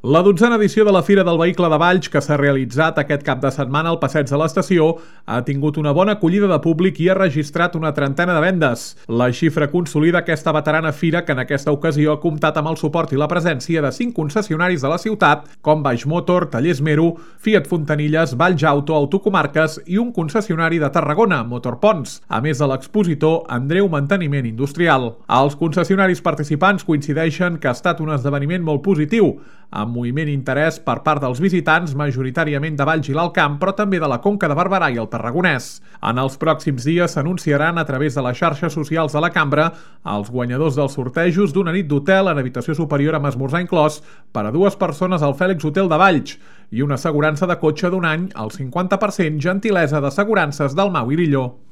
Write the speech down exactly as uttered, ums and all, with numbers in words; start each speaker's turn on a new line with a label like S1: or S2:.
S1: La dotzena edició de la Fira del Vehicle de Valls, que s'ha realitzat aquest cap de setmana al Passeig de l'Estació, ha tingut una bona acollida de públic i ha registrat una trentena de vendes. La xifra consolida aquesta veterana fira, que en aquesta ocasió ha comptat amb el suport i la presència de cinc concessionaris de la ciutat, com Baix Motor, Tallers Mero, Fiat Fontanilles, Valls Auto, Autocomarques i un concessionari de Tarragona, Motorponts, a més de l'expositor Andreu Manteniment Industrial. Els concessionaris participants coincideixen que ha estat un esdeveniment molt positiu, amb moviment i interès per part dels visitants, majoritàriament de Valls i l'Alt Camp, però també de la Conca de Barberà i el Tarragonès. En els pròxims dies s'anunciaran a través de les xarxes socials de la cambra els guanyadors dels sortejos d'una nit d'hotel en habitació superior amb esmorzar inclòs per a dues persones al Fèlix Hotel de Valls i una assegurança de cotxe d'un any al cinquanta per cent, gentilesa d'assegurances del Mau i Lilló.